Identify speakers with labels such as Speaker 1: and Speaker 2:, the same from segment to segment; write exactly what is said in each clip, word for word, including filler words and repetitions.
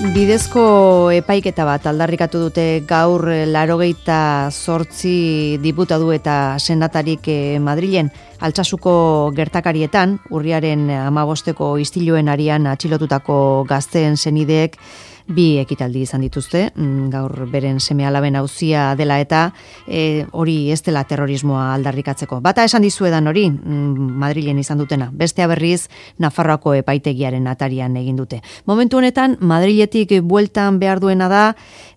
Speaker 1: Bidezko epaiketa bat aldarrikatu dute gaur laurogeita zortzi diputatu eta senatarik Madrilen. Altsasuko gertakarietan, urriaren hamabosteko istiluen arian atxilotutako gazteen senideek bi ekitaldi izan dituzte, gaur beren seme-alaben auzia dela eta e, hori ez dela terrorismoa aldarrikatzeko. Bata esan dizuedan hori, Madrilen izan dutena, bestea berriz Nafarroako epaitegiaren atarian egin dute. Momentu honetan, Madriletik bueltan behar duena da,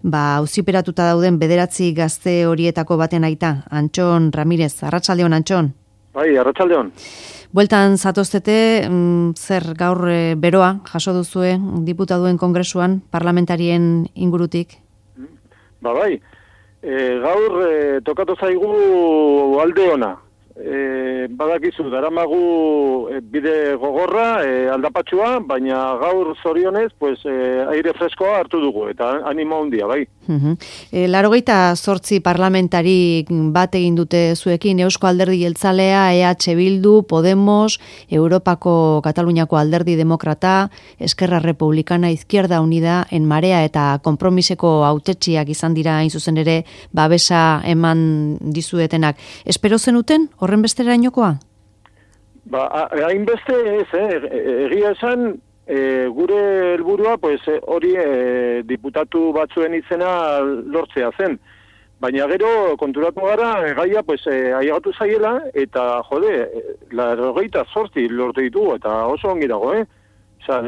Speaker 1: ba, auziperatuta dauden bederatzi gazte horietako baten aita, Antxon Ramirez, arratsaldeon Antxon.
Speaker 2: Bai, arratsaldeon.
Speaker 1: Bueltan zatoztete, mm, zer gaur e, beroa jaso duzue diputatuen kongresuan parlamentarien ingurutik?
Speaker 2: Ba bai, e, gaur e, tokatu zaigu alde ona. E, badakizu, daramagu e, bide gogorra, e, aldapatxua, baina gaur zorionez, pues, e, aire freskoa hartu dugu, eta animo handia, bai.
Speaker 1: Uh-huh. E, Laurogeita zortzi parlamentari bat egin dute zuekin, Eusko Alderdi Jeltzalea, E H Bildu, Podemos, Europako Kataluniako Alderdi Demokrata, Esquerra Republicana, Izquierda Unida, En Marea eta Konpromiseko hautetsiak izan dira hain zuzen ere babesa eman dizuetenak. Espero zenuten horren bestera inokoa?
Speaker 2: Ba, hainbeste ez, eh? Egia esan, e, gure helburua pues, hori e, diputatu batzuen izena lortzea zen. Baina gero konturatu gara, gaia pues, e, aiagatu zaiela, eta jode, laurogeita zortzi lortu ditugu, eta oso ongi dago, eh? Osa,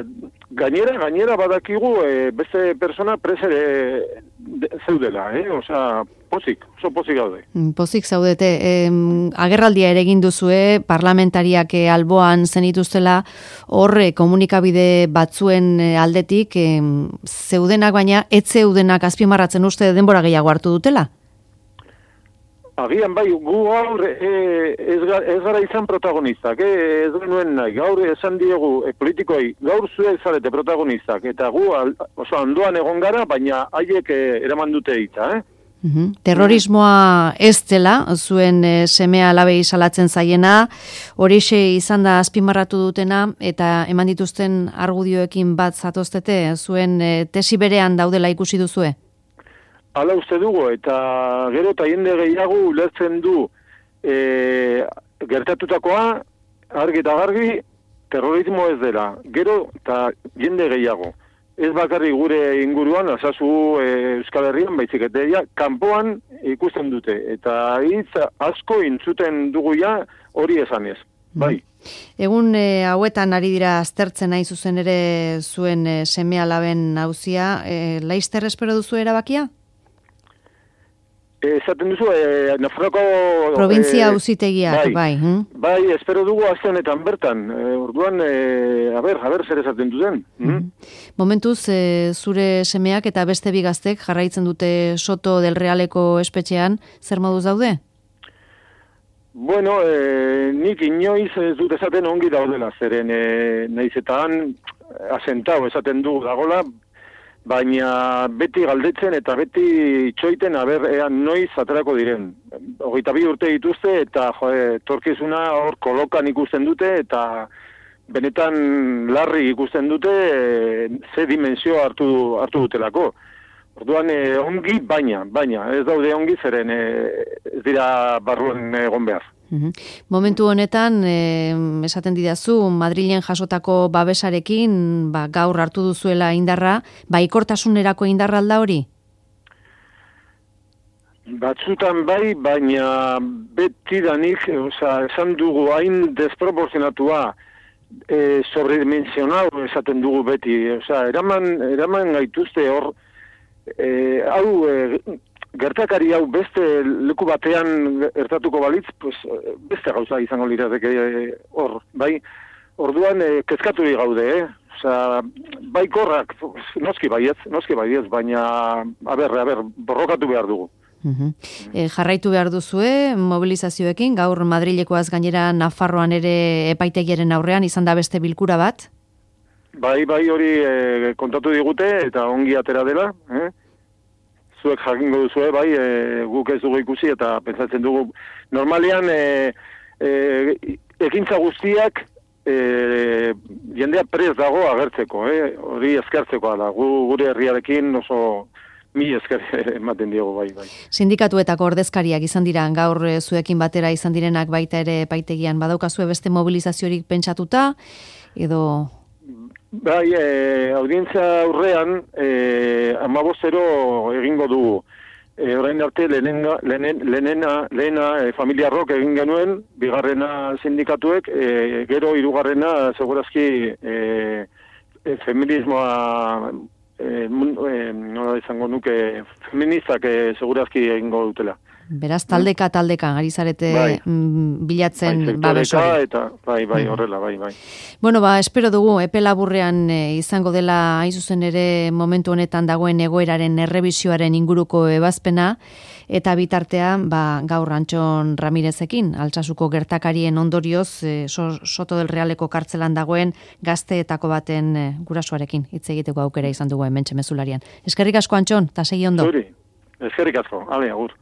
Speaker 2: gainera, gainera badakigu e, beste persona presere zeudela, eh? Osa, pozik, oso pozik gaude.
Speaker 1: Pozik zaudete. E, agerraldia ere egin duzue, parlamentariak e, alboan zenituztela, horre komunikabide batzuen aldetik, e, zeudenak baina, ez zeudenak azpimarratzen uste denbora gehiago hartu dutela?
Speaker 2: Agian bai, gu gaur e, ez, ez gara izan protagonistak, e, ez genuen nahi, gaur esan diegu e, politikoi, gaur zue zarete protagonistak, eta gu al, oso handoan egon gara, baina haiek e, eraman dute eta, eh?
Speaker 1: Uhum. Terrorismoa ez dela, zuen e, semea alabei salatzen zaiena, horixe izan da azpimarratu dutena, eta eman dituzten argudioekin bat zatoztete, zuen e, tesi berean daudela ikusi duzue?
Speaker 2: Hala uste dugu, eta gero eta jende gehiago ulertzen du e, gertatutakoa, argi eta garbi, terrorismo ez dela. Gero eta jende gehiago. Ez bakarri gure inguruan, asazu e, Euskal Herrian, baizik eta ja, kanpoan ikusten dute. Eta hitz asko intzuten dugu ja hori esanez. Bai.
Speaker 1: Egun e, hauetan ari dira aztertzen nahi zuzen ere zuen e, seme-alaben auzia, e, laizter espero duzu erabakia?
Speaker 2: Esaten duzu, eh, Nafarroako...
Speaker 1: Provintzia auzitegiak,
Speaker 2: bai.
Speaker 1: Bai, hm?
Speaker 2: Bai, espero dugu azte honetan bertan. Eh, orduan, eh, a ber, a ber, zer esaten duzen. Mm?
Speaker 1: Momentuz, eh, zure semeak eta beste bigaztek jarraitzen dute Soto del Realeko espetxean, zer moduz daude?
Speaker 2: Bueno, eh, nik inoiz ez dut esaten ongi daudela, zeren eh, nahiz eta han asentau esaten dugu dagola, baina beti galdetzen eta beti txoiten aber ean noiz aterako diren. Hogeita bi urte dituzte eta jode, torkizuna hor kolokan ikusten dute eta benetan larri ikusten dute e, ze dimensio hartu, hartu dutelako. Orduan e, ongi baina, baina ez daude ongi zeren e, ez dira barruan egon behar.
Speaker 1: Uhum. Momentu honetan, eh, esaten didazu, Madrilen jasotako babesarekin, ba, gaur hartu duzuela indarra, baikortasunerako indarra alda hori?
Speaker 2: Batzutan bai, baina beti danik, oza, esan dugu hain desproporzionatua, e, sobredimensional esaten dugu beti, oza, eraman, eraman gaituzte hor, e, hau... E, gertakari hau beste leku batean ertatuko balitz, pues, beste gauza izango lirateke hor, bai? Orduan, eh, kezkatu gaude, eh? Osa, bai korrak, noski baietz, noski baietz, baina, a ber, a ber, borrokatu behar dugu.
Speaker 1: Uh-huh. E, jarraitu behar duzue, mobilizazioekin, gaur Madrilekoaz gainera Nafarroan ere epaitegiaren aurrean, izan da beste bilkura bat?
Speaker 2: Bai, bai hori eh, kontatu digute, eta ongi atera dela, eh? Zuek jakingo duzue, bai, e, guk ez dugu ikusi eta pentsatzen dugu normalean e, e, ekintza guztiak e, jendea prez dago agertzeko, eh? Hori eskertzekoa da, gu, gure herriarekin oso mi esker ematen diogu, bai, bai.
Speaker 1: Sindikatuetako ordezkariak izan dira, gaur zuekin batera izan direnak baita ere epaitegian, badaukazue beste mobilizaziorik pentsatuta, edo...
Speaker 2: Bai, e, audientzia aurrean, e, amabostero egingo dugu. E, orain arte lehenena, lehenena, lehena e, familiarrok egin genuen, bigarrena sindikatuek, e, gero hirugarrena segurazki e, e, feminismoa, e, e, nola izango nuke, feministak e, segurazki egingo dutela.
Speaker 1: Beraz, taldeka, taldeka, ari zarete bai. bilatzen
Speaker 2: bai,
Speaker 1: babes hori.
Speaker 2: Eta, bai, bai, horrela, bai, bai.
Speaker 1: Bueno, ba, espero dugu, epe laburrean e, izango dela, hain zuzen ere, momentu honetan dagoen egoeraren errebisioaren inguruko ebazpena, eta bitartean, ba, gaur Antxon Ramirezekin, Altsasuko gertakarien ondorioz, e, so, Soto del Realeko kartzelan dagoen gazteetako baten e, gurasoarekin, hitz egiteko aukera izan dugu hementxe mezularian. Eskerrik asko, Antxon, eta segi ondo.
Speaker 2: Zuri, eskerrik asko, ale, agur.